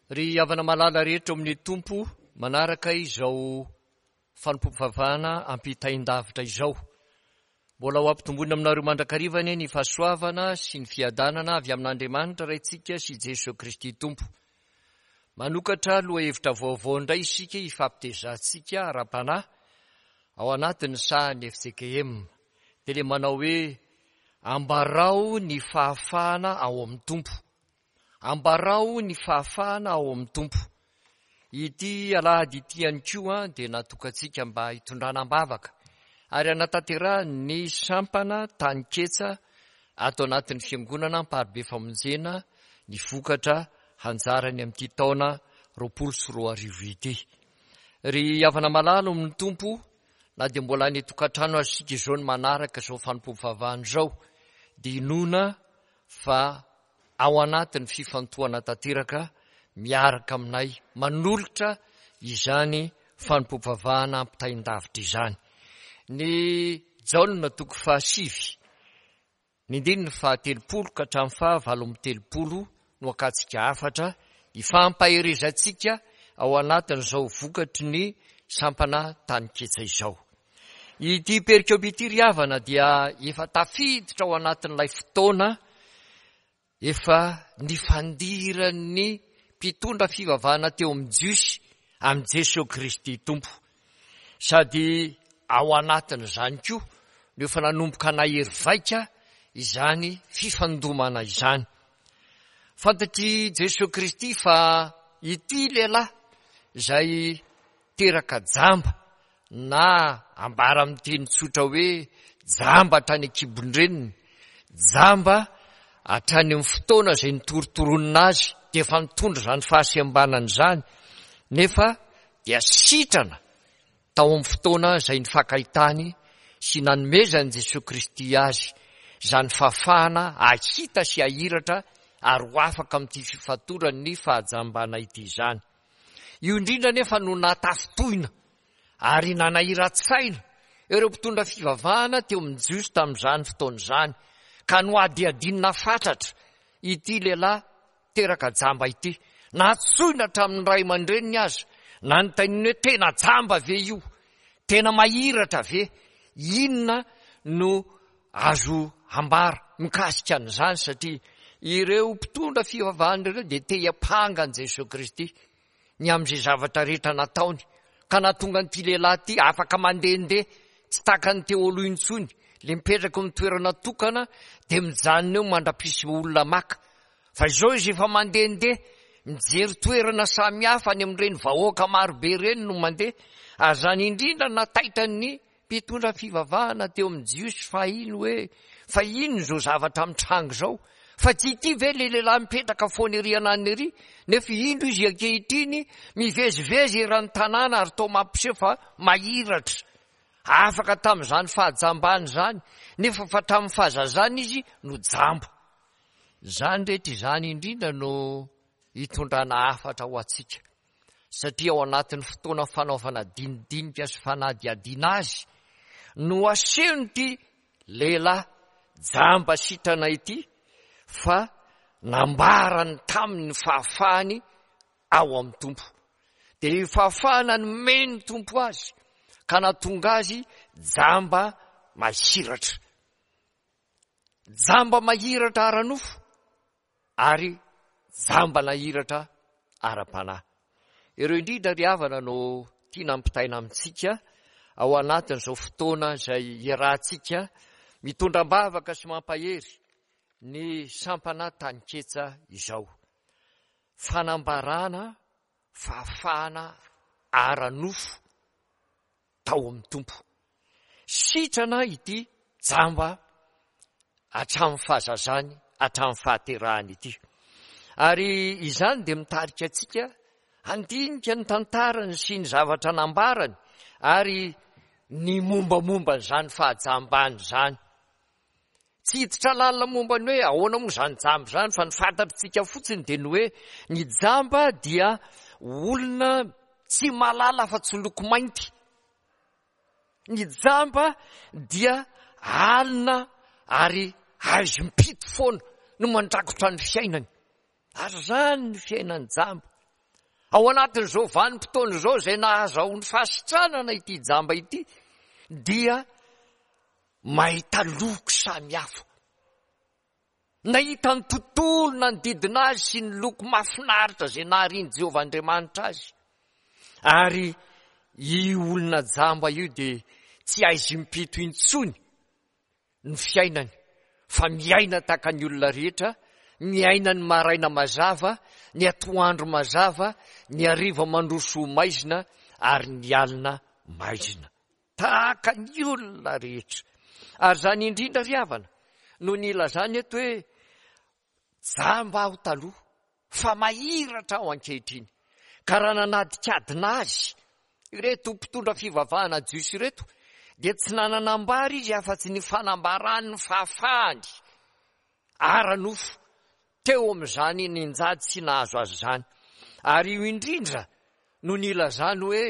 Ry havana malala rehetra ao amin'ny Tompo, manaraka izao fanompoam-pivavahana ampitain-davitra izao. Mbola ho ampitomboina aminareo mandrakariva anie ny fahasoavana sy ny fiadanana avy amin'Andriamanitra Raintsika sy Jesoa Kristy Tompo. Manokatra lohahevitra vaovao indray isika hifampitezantsika ara-panahy ao anatin'ny sahan'ny FJKM. Dia ilay manao hoe Ambarao ny fahafahana ao amin'ny Tompo. Ambarao ny fahafahana ao amin'ny Tompo. Ity alahady ity ihany koa dia natokantsika mba hitondrana am-bavaka ary hanatanterahany ny sampana tany ketsa ato anatin'ny fiangonana Amparibe Famonjena ny vokatra hanjarany amin'ity taona 2020 ity. Ry havana malala ao amin'ny Tompo, na dia mbola any an-tokantrano aza isika izao no manaraka izao fanompoam-pivavahana izao, dia inoana fa ao anatin'ny fifantohana tanteraka miaraka aminay manolotra izany fanompoam-pivavahana ampitain-davitra izany. Ny Jaona toko fahasivy, ny andininy fahatelopolo ka hatramin'ny faha 38 no akantsika hafatra hifampaherezantsika ao anatin'izao vokatry ny sampana taninketsa izao. Ity perikopa ity ry havana dia efa tafiditra ao anatin'ilay fotoana efa nifandiran'ny mpitondra fivavahana teo amin'ny Jiosy amin'i Jesoa Kristy Tompo. Sady ao anatin'izany koa no efa nanomboka nahery vaika izany fifandomana izany. Fantatr'i Jesoa Kristy fa ity lehilahy izay teraka jamba na ambara amin'ny teny tsotra hoe jamba hatrany an-kibon-dreniny, jamba hatrany amin'ny fotoana izay nitorotoronina azy dia efa nitondra izany fahasembanana izany, nefa dia sitrana tao amin'ny fotoana izay nifankahitany sy nanomezan'i Jesoa Kristy azy izany fahafahana hahita sy hahiratra ary ho afaka amin'ity fifatoran'ny fahajambana ity izany. Io indrindra anefa no nahatafintohina ary nanahiran-tsaina ireo mpitondra fivavahana teo amin'ny Jiosy tamin'izany fotoana izany, ka nohadihadiana fatratra ity lehilahy teraka jamba ity. Nantsoina hatramin'ny ray aman-dreniny aza, nanontaniana hoe tena jamba ve io? Tena mahiratra ve? Inona no Azo ambara mikasika an'izany satria ireo mpitondra fivavahana ireo dia te hiampanga an'i Jesoa Kristy ny amin'izay zavatra rehetra nataony ka nahatonga an'ity lehilahy ity afaka mandehandeha tsy tahaka ny teo aloha intsony, ilay mipetraka eo amin'ny toerana tokana dia mijanona eo mandra-pisy olona maka. Fa izao izy efa mandehandeha mijery toerana samihafa any amin'ireny vahoaka marobe ireny no mandeha, ary izany indrindra nataitra ny Mpitondra fivavahana teo amin'ny Jiosy fahiny hoe, Fa inona izao zavatra mitranga izao? Fa tsy ity ve ilay lehilahy mipetraka foana ery ananona ery? Nefa indro izy ankehitriny mivezivezy eran'ny tanàna ary toa mampiseho fa mahiratra. Afaka tamin'izany fahajambany izany, nefa fa hatramin'ny fahazazany izy no jamba. Izany rehetra izany indrindra no hitondrana hafatra ho antsika. satria ao anatin'ny fotoana fanaovana dinidinika sy fanadihadiana azy no asehon'ity lehilahy jamba sitrana ity fa nambarany taminy ny fahafahany ao amin'ny Tompo. Dia io fahafahana nomen'ny Tompo azy ka nahatonga azy jamba mahiratra. Jamba mahiratra ara-nofo ary jamba nahiratra ara-panahy. Ireo indrindra ry havana no tiana ampitaina amintsika ao anatin'izao fotoana izay iarahantsika mitondra am-bavaka sy mampahery ny sampana Taninketsa izao. Fanambarana fahafahana ara-nofo tao amin'ny Tompo. Sitrana ity jamba hatramin'ny fahazazany, hatramin'ny fahaterahany ity. Ary izany dia mitarika antsika handinika ny tantarany sy ny zavatra nambarany ary ny mombamomba an'izany fahajambany izany. Tsy hiditra lalina momba ny hoe ahoana moa izany jamba izany fa ny fantatritsika fotsiny dia ny hoe ny jamba dia olona tsy mahalala afa-tsy loko mainty. Ny jamba dia alina ary haizim-pito foana no mandrakotra ny fiainany. Ary izany ny fiainan'ny jamba. Ao anatin'izao vanim-potoana izao izay nahazahoany fahasitranana ity jamba ity dia mahita loko samihafa. Nahita ny tontolo nanodidina azy sy ny loko mahafinaritra izay naharian'i Jehovah Andriamanitra azy. Ary io olona jamba io dia tsy aizim-pito intsony ny fiainany, fa miaina tahaka ny olona rehetra, miaina ny maraina mazava, ny atoandro mazava, ny hariva mandroso ho maizina, ary ny alina maizina. Tahaka ny olona rehetra. Ary izany indrindra ry havana no nilazany eto hoe jamba aho taloha fa mahiratra aho ankehitriny. Ka raha nanadikadina azy ireto mpitondra fivavahana jiosy ireto dia tsy nanana ambara izy afa-tsy ny fanambarany ny fahafahany ara-nofo teo amin'izany ninjady sy nahazo azy izany. Ary io indrindra no nilazany hoe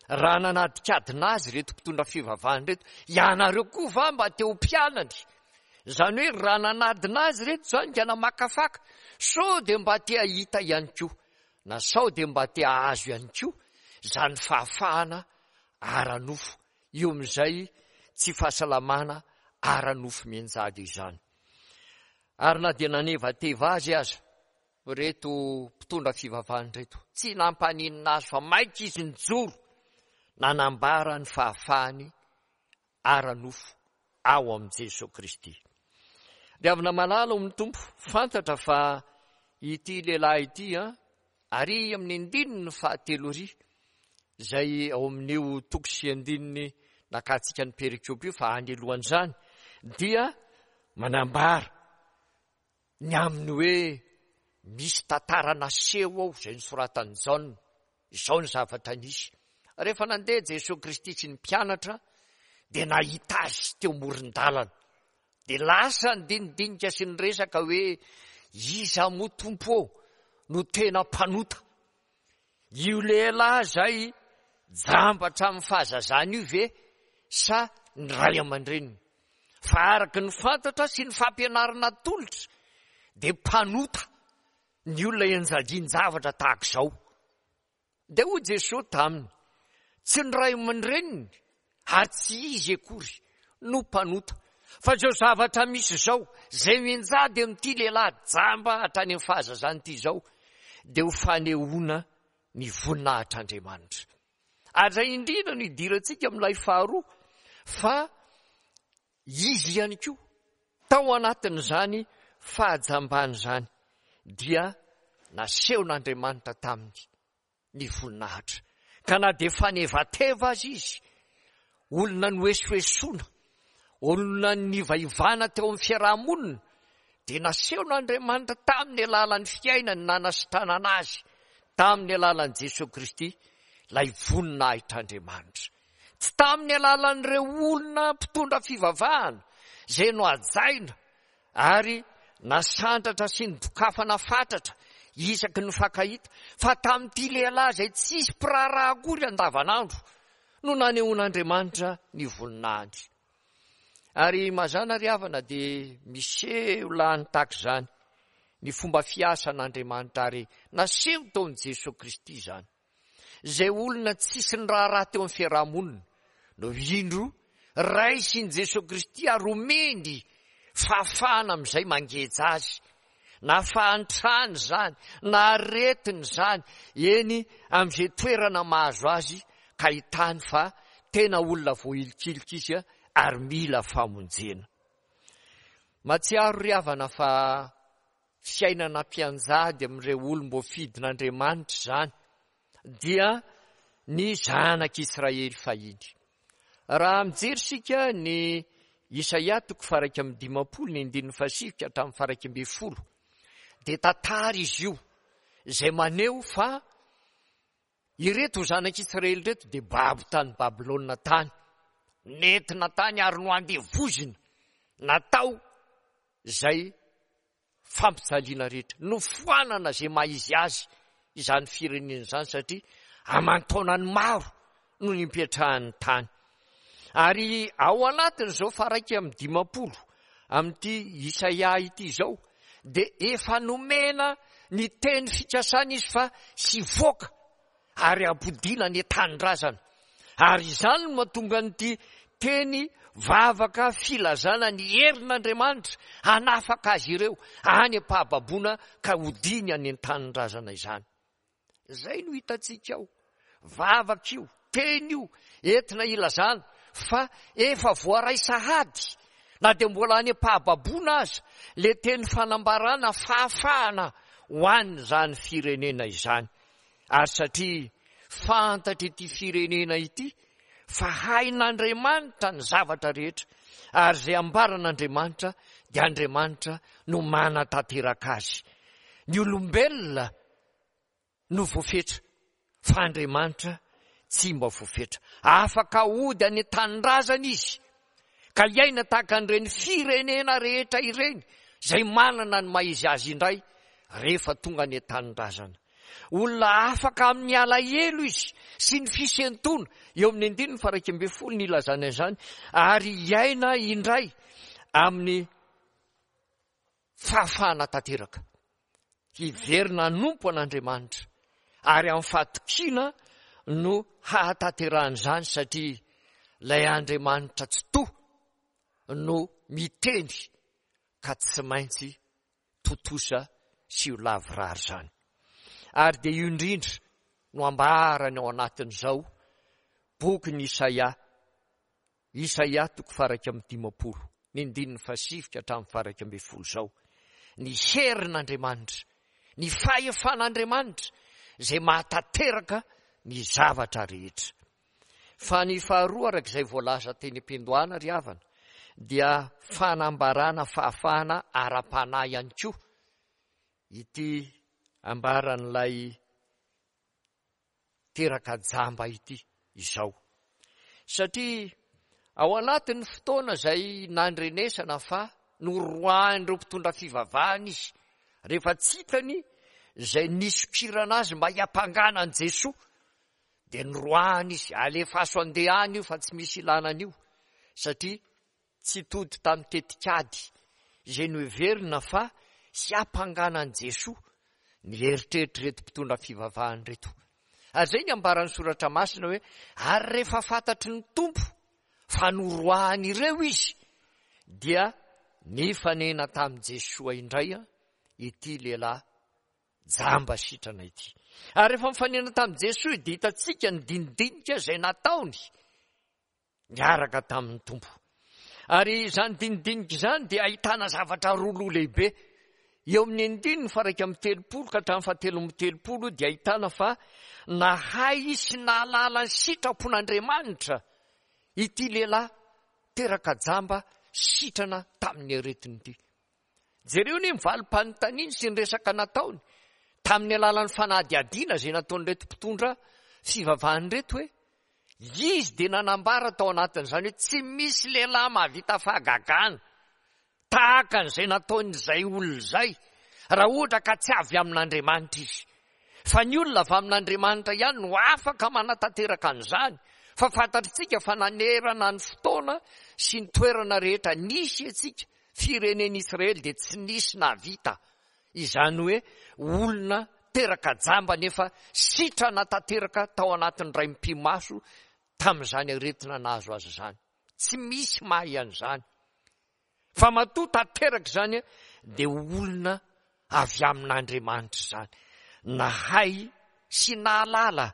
raha nanadikadina azy ireto mpitondra fivavahana ireto, ianareo koa va mba te ho mpianany? Izany hoe raha nanadina azy ireto izany ka namakafaka, sao dia mba te hahita ihany koa, na sao dia mba te hahazo ihany koa izany fahafahana ara-nofo eo amin'izay tsy fahasalamana ara-nofo mianjady izany. Ary na dia nanevateva azy aza ireto mpitondra fivavahana ireto, tsy nampaninona azy fa maika izy nijoro nanambara ny fahafahany ara-nofo ao amin'i Jesoa Kristy. Ry havana malala ao amin'ny Tompo, fantatra fa ity lehilahy ity an, ary amin'ny andininy fahatelo ary, izay ao amin'io toko sy andininy nakantsika ny perikopa io fa any alohan'izany, dia manambara ny amin'ny hoe misy tantara naseho ao izay nosoratan'i Jaona. Izao ny zavatra nisy. Rehefa nandeha Jesoa Kristy sy ny mpianatra dia nahita azy teo amoron-dalana. Dia lasa nidinidinika sy niresaka hoe iza moa Tompo ô no tena mpanota? Io lehilahy izay jamba hatramin'ny fahazazany io ve sa ny ray aman-dreniny? Fa araka ny fantatra sy ny fampianarana atolotra dia mpanota ny olona ianjadian-javatra tahaka izao. Dia hoy Jesoa taminy, Tsy ny ray aman-dreniny ary tsy izy akory no mpanota, fa izao zavatra misy izao, izay mianjady amin'ity lehilahy jamba hatrany amin'ny fahazazany ity izao, dia ho fanehoana ny voninahitr'Andriamanitra. Ary izay indrindra no idirantsika amin'ilay faharoa, fa Izy ihany koa, tao anatin'izany fahajambany izany, dia nasehon'Andriamanitra taminy ny voninahitra. Ka na dia fanevateva aza izy, olona noesoesoana, olona nivaivana teo amin'ny fiaraha-monina, dia nasehon'Andriamanitra tamin'ny alalan'ny fiainany nanasitranana azy, tamin'ny alalan'i Jesoa Kristy, ilay voninahitr'Andriamanitra. Tsy tamin'ny alalan'ireo olona mpitondra fivavahana izay nohajaina ary nasandratra sy nodokafana fatratra isaky ny nifankahita, fa tamin'ity lehilahy izay tsisy mpiraharaha akory andavanandro no nanehoan'Andriamanitra ny voninahiny. Ary mazàna ry havana dia miseho lany tahaka izany ny fomba fiasan'Andriamanitra ary naseho tao amin'i Jesoa Kristy izany. Izay olona tsisy niraharaha teo amin'ny fiaraha-monina no indro raisin'i Jesoa Kristy ary omeny fahafahana amin'izay mangeja azy, na fahantrana izany, na aretina izany, eny amin'izay toerana mahazo azy ka hitany fa tena olona voahilikilika izy ary mila famonjena. Mahatsiaro ry havana fa fiainana mpianjady amin'ireo olom-boafidin'Andriamanitra izany dia ny zanak'Israely fahiny. Raha mijery isika ny Isaia toko faha-51 ny andininy fahasivy ka hatramin'ny faha-11 dia tantara izy io izay maneho fa ireto zanak'Israely ireto dia babo tany Babylona tany, nentina tany ary noandevozina, natao izay fampijaliana rehetra. Nofoanana izay maha izy azy izany firenena izany satria aman-taonany maro no nipetrahany tany. Ary ao anatin'izao faha-51 amin'ity Isaia ity izao dia efa nomena ny teny fikasana izy fa hivoaka. ary hampodiana any an-tanindrazana. Ary izany no mahatonga an'ity teny vavaka filazana ny herin'Andriamanitra hanafaka azy ireo any am-pahababoana ka hodiany any an-tanindrazana izany. Izay no hitantsika ao. Vavaka io, teny io, entina ilazana fa efa voaray sahady na dia mbola any am-pahababoana aza le teny fanambarana fahafahana ho an'izany firenena izany. Ary satria fantatr'ity firenena ity fa hain'Andriamanitra ny zavatra rehetra, ary izay ambaran'Andriamanitra dia Andriamanitra no manatanteraka azy. Ny olombelona no voafetra, fa Andriamanitra tsy mba voafetra. Afaka hody any an-tanindrazana izy, ka hiaina tahaka an'ireny firenena rehetra ireny, izay manana ny maha izy azy indray, rehefa tonga any an-tanindrazana. Olona afaka amin'ny alahelo izy sy ny fisentoana, eo amin'ny andininy faha 11 no ilazana izany, ary hiaina indray amin'ny fahafahana tanteraka. Hiverina hanompo an'Andriamanitra, ary amin'ny fahatokiana no hahatanterahany izany satria ilay Andriamanitra Tsitoha no miteny ka tsy maintsy tontosa sy ho lavorary izany. Ary dia io indrindra no ambarany ao anatin'izao bokin'i Isaia, Isaia toko faha-51, ny andininy fahasivy ka hatramin'ny faha-11 izao. Ny herin'Andriamanitra, ny fahefan'Andriamanitra izay mahatanteraka ny zavatra rehetra. Fa ny faharoa araka izay voalaza teny am-piandohana ry havana dia fanambarana fahafahana ara-panahy ihany koa ity ambaran'ilay teraka jamba ity izao. Satria ao anatin'ny fotoana izay nandrenesana fa noroahin'ireo mpitondra fivavahana izy rehefa tsy hitany izay nisokirana azy mba hiampangana an'i Jesoa Dia noroahana izy, alefaso handeha any io fa tsy misy ilana an'io, satria tsy tody tamin'ny tetikady izay noheverina fa hiampangana an'i Jesoa ny eritreritr'ireto mpitondra fivavahana ireto. Ary izay ny ambaran'ny Soratra Masina hoe, ary rehefa fantatry ny Tompo fa noroahany ireo izy, dia nifanena tamin'i Jesoa indray ity lehilahy jamba sitrana ity. Ary rehefa mifanena tamin'i Jesoa dia hitantsika ny dinidinika izay nataony niaraka tamin'ny Tompo. Ary izany dinidinika izany dia ahitana zavatra roa loha lehibe. Eo amin'ny andininy faha-31 ka hatramin'ny faha-33 dia ahitana fa nahay sy nahalala ny sitrapon'Andriamanitra ity lehilahy teraka jamba sitrana tamin'ny aretina ity. Jereo anie ny valim-panontaniany sy ny resaka nataony tamin'ny alalan'ny fanadihadiana izay nataon'ireto mpitondra fivavahana ireto hoe izy dia nanambara tao anatin'izany hoe tsy misy lehilahy mahavita fahagagana tahaka an'izay nataon'izay olona izay raha ohatra ka tsy avy amin'Andriamanitra izy. Fa ny olona avy amin'Andriamanitra ihany no afaka manatanteraka an'izany, fa fantatritsika fa nanerana ny fotoana sy ny toerana rehetra nisy antsika Firenen'Israely dia tsy nisy nahavita izany hoe olona teraka jamba nefa sitrana tanteraka tao anatin'ny iray mipi-maso tamin'izany aretina nahazo azy izany. Tsy misy mahay an'izany. Fa matoa tanteraka izany dia olona avy amin'Andriamanitra izany. Nahay sy nahalala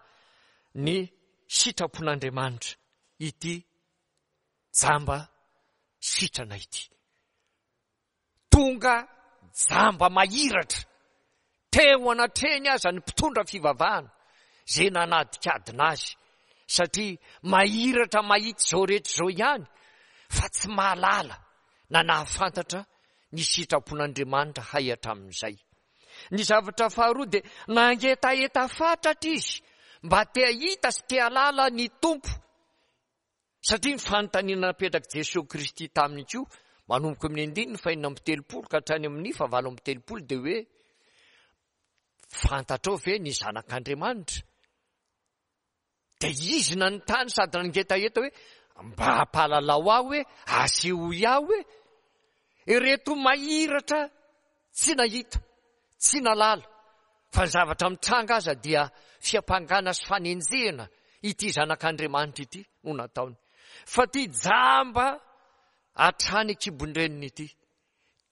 ny sitrapon'Andriamanitra ity jamba sitrana ity. Tonga jamba mahiratra teo anatrehany aza ny mpitondra fivavahana izay nanadikadina azy satria mahiratra mahita izao rehetra izao ihany fa tsy mahalala na nahafantatra ny sitrapon'Andriamanitra hay hatramin'izay. Ny zavatra faharoa dia nangetaheta fatratra izy mba te hahita sy te hahalala ny Tompo Satria ny fanontaniana napetrak'i Jesoa Kristy taminy koa, manomboka amin'ny andininy fahenina amby telopolo ka hatrany amin'ny fahavalo amby telopolo dia hoe, Fantatrao ve ny Zanak'Andriamanitra? Dia izy nanontany sady nangetaheta hoe, Mba ampahalalao ahy hoe, asehoy ahy hoe, ireto mahiratra tsy nahita, tsy nahalala. Fa ny zavatra mitranga aza dia fiampangana sy fanenjehana ity Zanak'Andriamanitra ity no nataony. Fa ity jamba hatrany an-kibon-dreniny ity,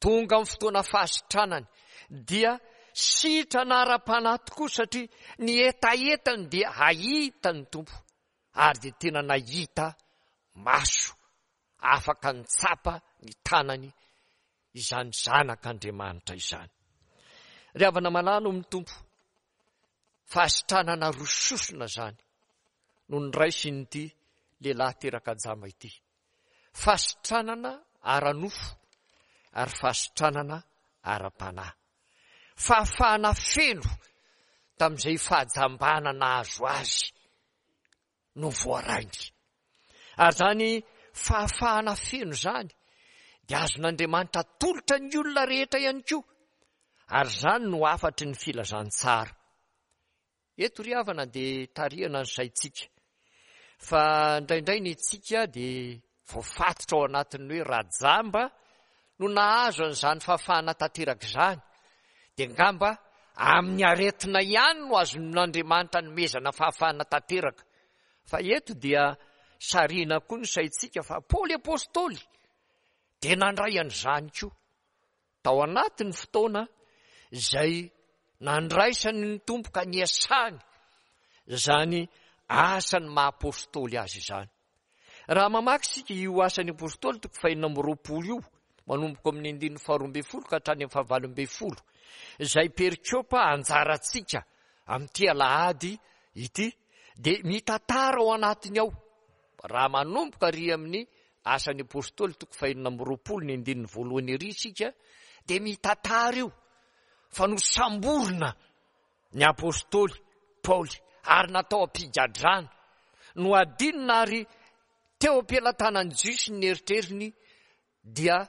tonga amin'ny fotoana fahasitranany, dia sitrana ara-panahy tokoa satria ny hetahetany dia hahita ny Tompo ary dia tena nahita maso afaka nitsapa ny tanany izany zanak'Andriamanitra izany. Ry havana malala ao amin'ny Tompo, fahasitranana roa sosona izany no noraisin'ity lehilahy teraka jamba ity. Fahasitranana ara-nofo ary fahasitranana ara-panahy. Fahafahana feno tamin'izay fahajambana nahazo azy no voarainy. Ary izany fahafahana feno izany dia azon'Andriamanitra atolotra ny olona rehetra ihany koa. Ary izany no hafatry ny filazantsara. Eto ry havana dia tarihana ny saintsika fa indraindray ny antsika dia voafatotra ao anatin'ny hoe rajamba no nahazo an'izany fahafahana tanteraka izany dia angamba amin'ny aretina ihany no azon'Andriamanitra anomezana fahafahana tanteraka. Fa eto dia sarihina koa ny saintsika fa Paoly Apostoly dia nandray an'izany koa tao anatin'ny fotoana izay nandraisany ny Tompo ka niasany izany asan'ny maha apostoly azy izany. Raha mamaky isika io Asan'ny Apostoly toko fahenina amby 20 io, manomboka amin'ny andininy faharoa ambin'ny folo ka hatrany amin'ny fahavalo ambin'ny folo, izay perikopa anjarantsika amin'ity alahady ity, dia mitantara ao anatiny ao, raha manomboka ary amin'ny Asan'ny Apostoly toko fahenina amby 20 ny andininy voalohany ery isika, dia mitantara io fa nosamborina ny apostoly Paoly ary natao am-pigadrana. Nohadinina ary teo am-pelatanan'ny Jiosy ny eritreriny dia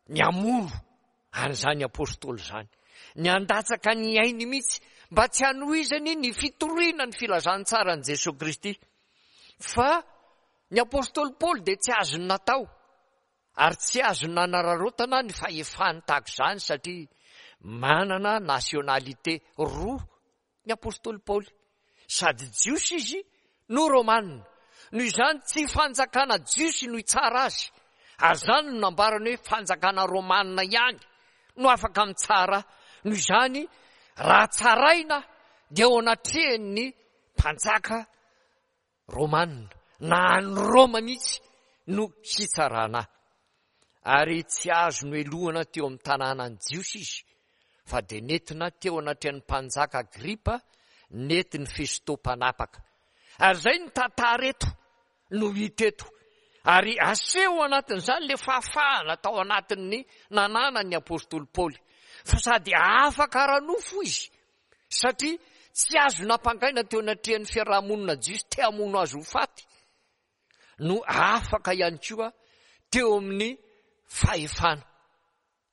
ny hamono an'izany apostoly izany. Ny handatsaka ny ainy mihitsy mba tsy hanohizany ny fitoriana ny filazantsaran'i Jesoa Kristy. Fa ny apostoly Paoly dia tsy azony natao Ary tsy azo nanararaotana ny fahefany tahaka izany satria manana nationalité roa ny apostoly Paoly. Sady Jiosy izy no Romana. Noho izany tsy fanjakana Jiosy no hitsara azy. Ary izany no nambarany hoe fanjakana Romana ihany no afaka mitsara. Noho izany raha tsaraina dia eo anatrehan'ny mpanjaka Romana, na any Roma mihitsy no hitsarana ahy. Ary tsy azo nohelohana teo amin'ny tanànan'ny Jiosy izy, fa dia nentina teo anatrehan'ny mpanjaka Agripa, nentin'i Festo mpanapaka. Ary izay ny tantara eto no hita eto. Ary aseho ao anatin'izany ilay fahafahana tao anatin'ny nananan'ny apostoly Paoly, fa sady afaka ara-nofo izy, Satria tsy azo nampangaina teo anatrehan'ny fiaraha-monina jiosy te hamono azy ho faty, no afaka ihany koa teo amin'ny fahefana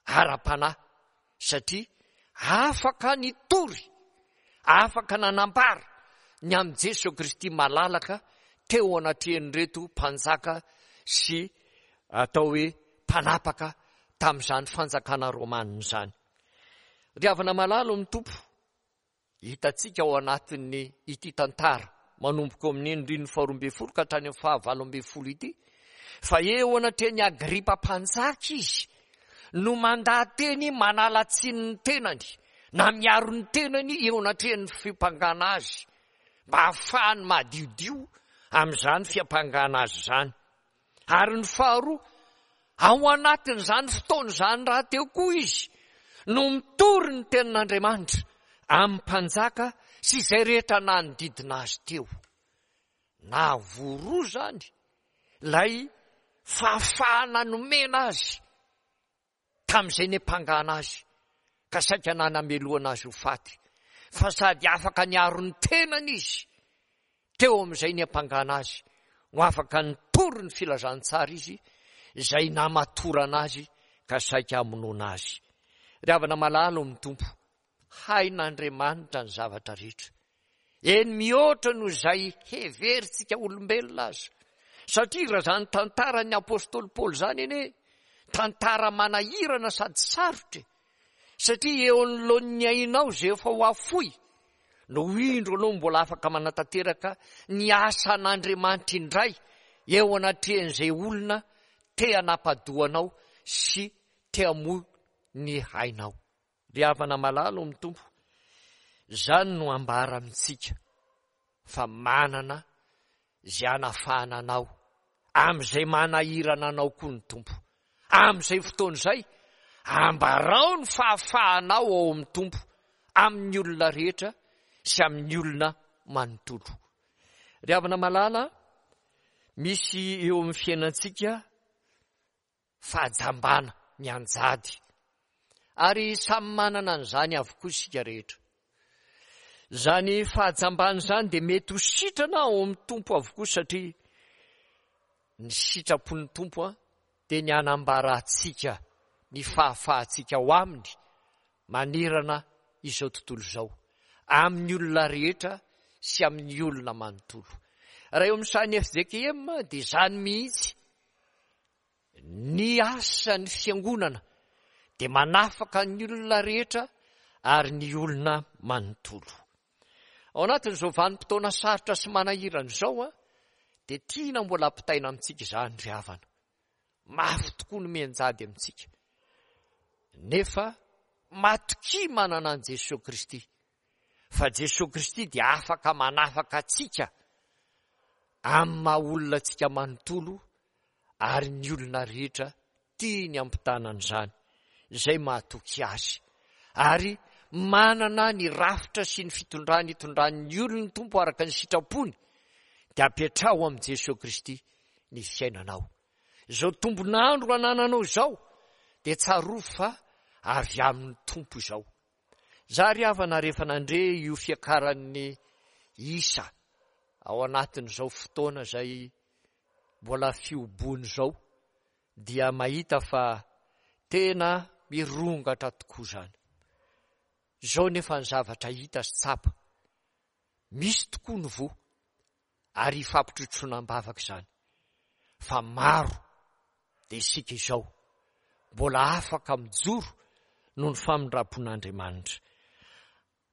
ara-panahy, satria afaka nitory, afaka nanambara ny amin'i Jesoa Kristy malalaka teo anatrehan'ireto mpanjaka sy atao hoe mpanapaka tamin'izany fanjakana romanina izany. Ry havana malala ao amin'ny Tompo, hitantsika ao anatin'ny ity tantara manomboka eo amin'ny andininy faharoa ambin'ny folo ka hatrany amin'ny fahavalo ambin'ny folo ity, fa eo anatrehan'i Agripa mpanjaka izy no mandaha-teny manala tsiny ny tenany na miaro ny tenany eo anatrehan'ny fiampangana azy mba hahafahany madiodio amin'izany fiampangana azy izany. Ary ny faharoa, ao anatin'izany fotoana izany rahateo koa izy no mitory ny tenin'Andriamanitra amin'ny mpanjaka sy izay rehetra nanodidina azy teo. Nahavoa roa izany ilay fahafahana nomena azy tamin'izay niampangana azy ka saika nanamelohana azy ho faty, fa sady afaka niaro ny tenany izy teo amin'izay niampangana azy no afaka nitory ny filazantsara izy izay namatorana azy ka saika hamonoana azy. Ry havana malala ao amin'ny Tompo, hain'Andriamanitra ny zavatra rehetra. Eny mihoatra noho izay heverintsika olombelona aza. Satria raha izany tantaran'ny apostoly Paoly izany anie, tantara manahirana sady sarotra e. Satria eo anoloan'ny ainao izay efa ho afoy no indro anao mbola afaka manatanteraka ny asan'Andriamanitra indray eo anatrehan'izay olona te hanapa-doha anao sy te hamoy ny ainao. Ry havana malala ao amin'ny Tompo, izany no ambara amintsika fa manana izay hanafahana anao amin'izay manahirana anao koa ny Tompo. Amin'izay fotoana izay, ambarao ny fahafahanao ao amin'ny Tompo amin'ny olona rehetra sy amin'ny olona manontolo. Ry havana malala, misy eo amin'ny fiainantsika fahajambana mianjady. Ary samy manana an'izany avokoa isika rehetra. Izany fahajambana izany dia mety ho sitrana ao amin'ny Tompo avokoa satria ny sitrapon'ny Tompo dia ny hanambarantsika ny fahafahantsika ao aminy manerana izao tontolo izao, amin'ny olona rehetra sy amin'ny olona manontolo. Raha eo amin'ny sahan'ny FJKM dia izany mihitsy Ny asan'ny fiangonana dia manafaka ny olona rehetra ary ny olona manontolo. Ao anatin'izao vanim-potoana sarotra sy manahirana izao dia tiana mbola ampitaina amintsika izany ry havana. Mafy tokoa ny mianjady amintsika. Nefa matokia manana an'i Jesoa Kristy fa Jesoa Kristy dia afaka manafaka antsika amin'ny maha olona antsika manontolo ary ny olona rehetra tiany hampitana an'izany, izay mahatoky Azy, ary manana ny rafitra sy ny fitondrany itondran'ny olony ny Tompo araka ny sitrapony, dia apetraho amin'i Jesoa Kristy ny fiainanao. Izao tombon'andro anananao izao dia tsarovy fa avy amin'ny Tompo izao. Za ry havana rehefa nandre io fiakaran'ny isa ao anatin'izao fotoana izay mbola fihoboana izao dia mahita fa tena mirongatra tokoa izany. Izao nefa ny zavatra hita sy tsapa, misy tokoa ny voa ary hifampitrotroana am-bavaka izany fa maro dia isika izao mbola afaka mijoro noho ny famindram-pon'Andriamanitra.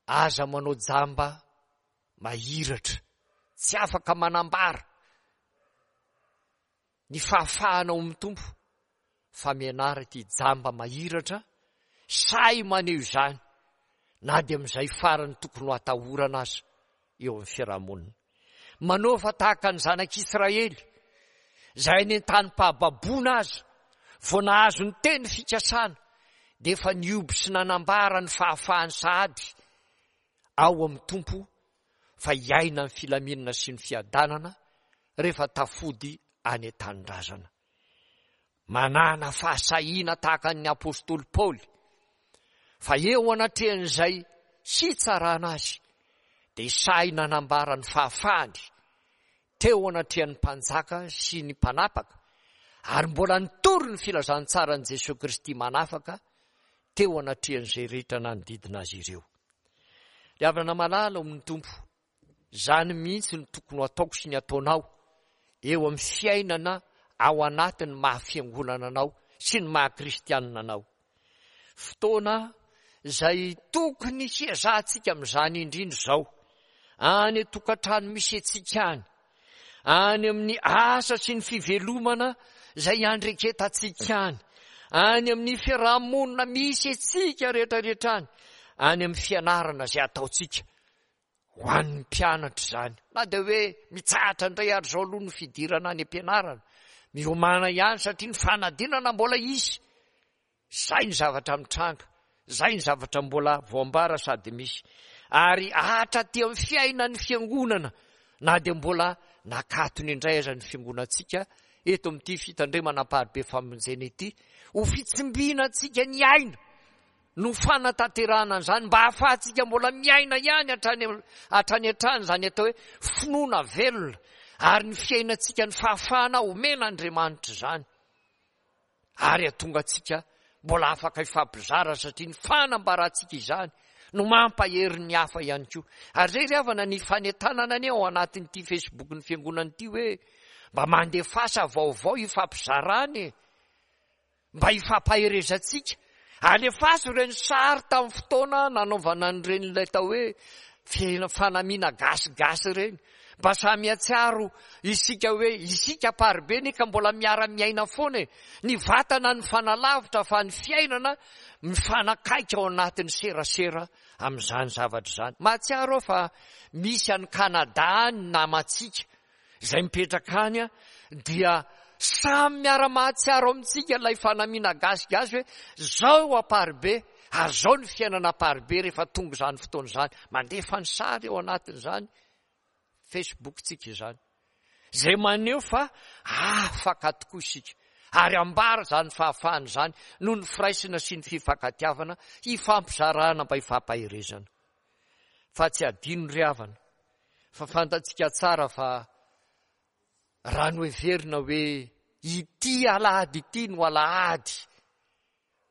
Aza manao jamba mahiratra, tsy afaka manambara ny fahafahana ao amin'ny Tompo fa mianara ity jamba mahiratra, sahy maneho izany na dia amin'izay farany tokony ho atahorana aza eo amin'ny fiarahamonina. Manaova tahaka ny zanak'Israely izay any an-tanim-pahababoana aza vao nahazo ny teny fikasana dia efa nihoby sy nanambara ny fahafahany sahady ao amin'ny Tompo fa hiaina ny filaminana sy ny fiadanana rehefa tafody any an-tanindrazana. Manana fahasahiana tahaka ny apostoly Paoly fa eo anatrehan'izay hitsarana azy dia sahy nanambara ny fahafahany teo anatrehan'ny mpanjaka sy ny mpanapaka ary mbola nitory ny filazantsaran'i Jesoa Kristy manafaka teo anatrehan'izay rehetra nanodidina azy ireo. Ry havana malala ao amin'ny Tompo, Izany mihitsy no tokony ho ataoko sy ny ataonao eo amin'ny fiainana ao anatin'ny maha fiangonana anao sy ny maha kristianina anao. Fotoana izay tokony hiezahantsika amin'izany indrindra izao, any an-tokantrano misy antsika any, any amin'ny asa sy ny fivelomana izay iandreketantsika any, any amin'ny fiarahamonina misy antsika rehetrarehetra any, any amin'ny fianarana izay ataontsika. Ho an'ny mpianatra izany. Na dia hoe mitsahatra indray ary izao aloha ny fidirana any am-pianarana, miomàna ihany satria ny fanadinana mbola hisy. Izay ny zavatra mitranga, izay ny zavatra mbola voambara sady misy. Ary hatraty amin'ny fiainan'ny fiangonana, na dia mbola nakatony indray aza ny fiangonantsika eto amin'ity fitandremana amparibe famonjena ity, ho fitsimbinantsika ny aina no fanatanterahana an'izany mba hahafahantsika mbola miaina ihany hatrany hatrany hatrany izany atao hoe finoana velona ary ny fiainantsika ny fahafahana omen'Andriamanitra izany ary hatonga antsika mbola afaka hifampizara satria ny fanambarantsika izany no mampahery ny hafa ihany koa. Ary izay ry havana ny fanentanana anie ao anatin'ity Facebook-n'ny fiangonana ity hoe mba mandefasa vaovao hifampizarana e. Mba hifampaherezantsika. Alefaso ireny sary tamin'ny fotoana nanaovana an'ireny ilay atao hoe fanamiana gasigasy ireny. Mba samy hahatsiaro isika hoe isika Amparibe anie ka mbola miara-miaina foana e. Ny vatana nifanalavitra fa ny fiainana mifanakaiky ao anatin'ny serasera amin'izany zavatra izany. Mahatsiaro aho fa misy any Canada any ny namantsika izay mipetraka any dia samy miara-mahatsiaro amintsika ilay fanamiana gasigasy hoe zao Amparibe ary zao ny fiainana Amparibe rehefa tonga izany fotoana izany. Mandefa ny sary ao anatin'izany Facebook-tsika izany. Izay maneho fa afaka tokoa isika ary ambara izany fahafahana izany noho ny firaisana sy ny fifankatiavana hifampizarana mba hifampaherezana. Fa tsy adino ry havana fa fantatsika tsara fa raha noheverina hoe ity alahady ity no alahady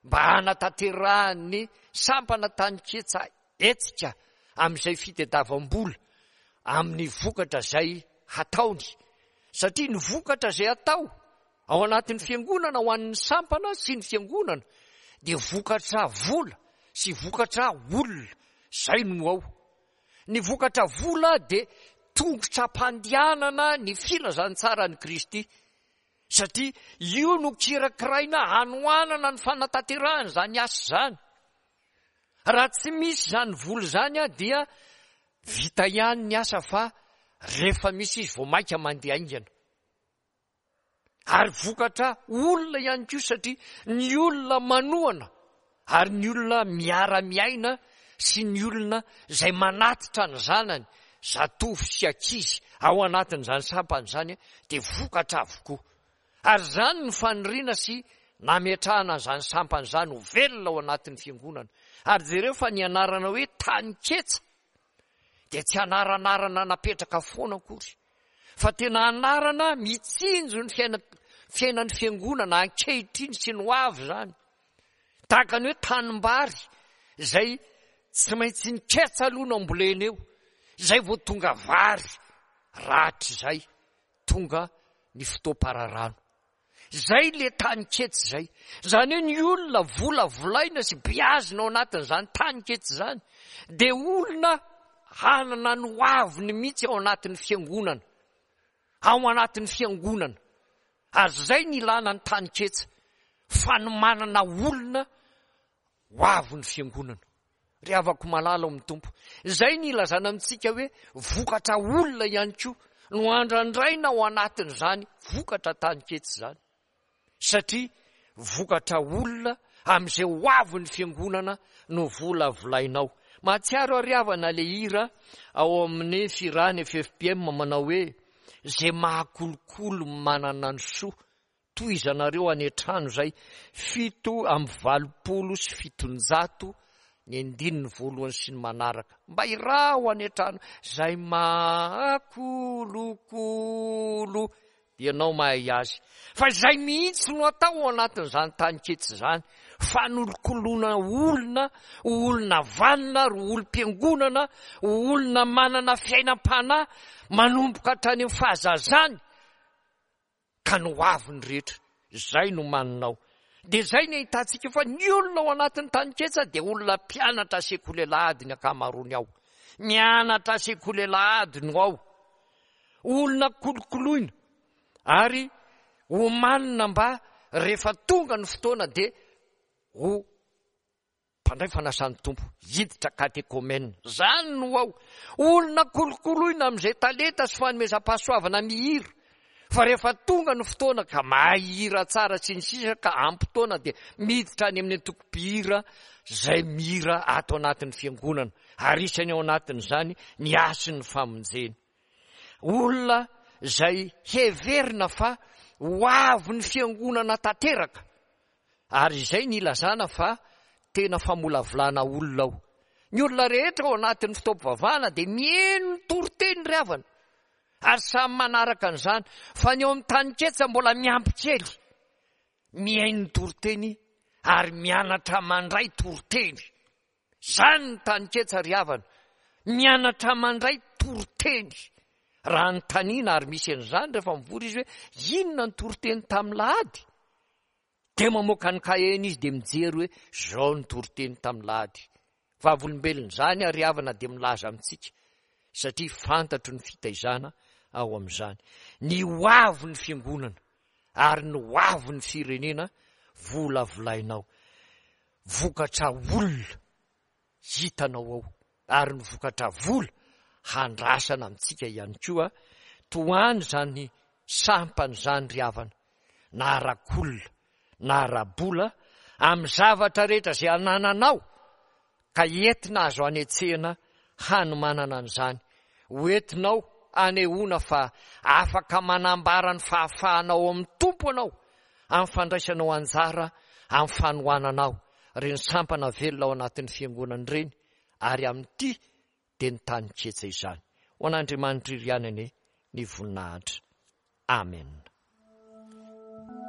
mba hanatanterahan'ny sampana taninketsa hetsika amin'izay fitediavam-bola amin'ny vokatra izay hataony satria ny vokatra izay atao ao anatin'ny fiangonana ho an'ny sampana sy ny fiangonana dia vokatra vola sy vokatra olona izay no ao. Ny vokatra vola dia tongotra ampandehanana ny filazantsaran'i Kristy, satria io no kirakiraina hanohanana ny fanatanterahana izany asa izany. Raha tsy misy izany vola izany dia vita ihany ny asa fa rehefa misy izy vao mainka mandeha haingana. Ary vokatra olona ihany koa satria ny olona manohana ary ny olona miara-miaina sy ny olona izay manatitra ny zanany, zatovo sy ankizy ao anatin'izany sampana izany dia vokatra avokoa. Ary izany no faniriana sy nametrahana an'izany sampana izany ho velona ao anatin'ny fiangonana. Ary jereo fa ny anarana hoe Taninketsa dia tsy anaranarana napetraka foana akory fa tena anarana mitsinjo ny fiaina fiainan'ny fiangonana ankehitriny sy ny ho avy izany. Tahaka ny hoe tanimbary izay tsy maintsy ny ketsa aloha no ambolena eo, izay vao tonga vary rahatrizay tonga ny fotoam-pararano. Izay le tany ketsa izay. Izany hoe ny olona volavolaina sy beazina ao anatin'izany tany ketsa izany dia olona hanana ny hoaviny mihitsy ao anatin'ny fiangonana. Ao anatin'ny fiangonana. Ary izay ny ilana ny tany ketsa. Fanomanana olona Ho avy ny fiangonana. Ry havako malala ao amin'ny Tompo, izay ny ilazana amintsika hoe vokatra olona ihany koa no andrandraina ao anatin'izany vokatra taninketsa izany. Satria vokatra olona amin'izay ho avy ny fiangonana no volavolainao. Mahatsiaro aho ry havana ilay hira ao amin'ny fihirana FFPM manao hoe izay mahakolokolo manana ny soa Tohizanareo any an-trano izay 787 ny andininy voalohany sy ny manaraka. Mba iraho any an-trano izay mahakolokolo dia ianao mahay azy. Fa izay mihitsy no atao ao anatin'izany taninketsa izany, fanolokoloana olona ho olona vanona ary ho olom-piangonana, ho olona manana fiainam-panahy manomboka hatrany amin'ny fahazazany. ka ny ho avy ny rehetra. Izay no maninao. Dia izay ny ahitantsika fa ny olona ao anatin'ny taninketsa dia olona mpianatra sekoly alahady ny ankamaroany ao. Mianatra sekoly alahady no ao. Olona kolokoloina ary omanina mba rehefa tonga ny fotoana dia ho Mpandray fanasan'ny Tompo, hiditra katekomena. Izany no ao. Olona kolokoloina amin'izay talenta sy fanomezam-pahasoavana mihira. Fa rehefa tonga ny fotoana ka mahay hira tsara sy ny sisa ka ampy taona dia miditra any amin'ny antoko mpihira izay mihira ato anatin'ny fiangonana. Ary isany ao anatin'izany ny hasin'ny famonjena. Olona izay heverina fa ho avin'ny fiangonana tanteraka. Ary izay ny ilazana fa tena famolavolana olona ao. Ny olona rehetra ao anatin'ny fotoam-pivavahana dia miheno ny toriteny ry havana. Ary samy manaraka an'izany. Fa ny ao amin'ny taninketsa mbola miampy kely. Mihaino ny toriteny ary mianatra mandray toriteny. Izany ny taninketsa ry havana. Mianatra mandray toriteny. Raha anontaniana ary misy an'izany rehefa mivory izy hoe inona ny toriteny tamin'ny lahady? Dia mamoaka ny kaheny izy dia mijery hoe izao ny toriteny tamin'ny lahady. Vavolombelon'izany ary havana dia milaza amintsika satria fantatro ny fitaizana ao amin'izany. Ny ho avy ny fiangonana ary ny ho avy ny firenena volavolainao. Vokatra olona hitanao ao ary ny vokatra vola handrasana amintsika ihany koa tohano izany sampana izany ry havana na arak'olona na ara-bola amin'ny zavatra rehetra izay anananao ka entina azo anetsehana hanomanana an'izany ho entinao anehoana fa afaka manambara ny fahafahanao amin'ny Tompo anao amin'ny fandraisanao anjara amin'ny fanohananao ireny sampana velona ao anatin'ny fiangonana ireny ary amin'ity dia ny tany ketsa izany. Ho an'Andriamanitra iry ihany anie ny voninahitra. Amen.